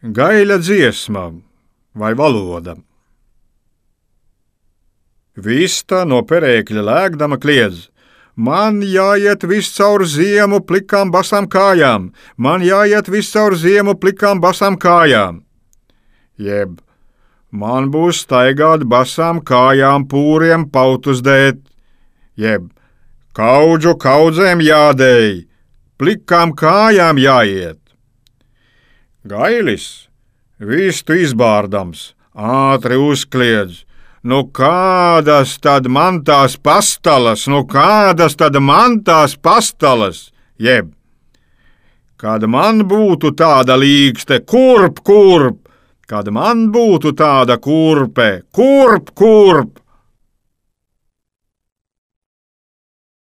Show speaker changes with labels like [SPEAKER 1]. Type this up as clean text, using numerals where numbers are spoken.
[SPEAKER 1] Gaļa dziesma vai valoda. Vista no perēkļa lēkdama kliedz: man jāiet viss caur ziemu plikām basām kājām, man jāiet viss caur ziemu plikām basām kājām. Jeb, man būs staigāt basām kājām pūriem pautus dēt, jeb, kaudžu kaudzēm jādēj, plikām kājām jāiet. Gailis, vistu izbārdams, ātri uzkliedz: nu kādas tad man tās pastalas, jeb, kad man būtu tāda līkste, kurp, kad man būtu tāda kurpe, kurp.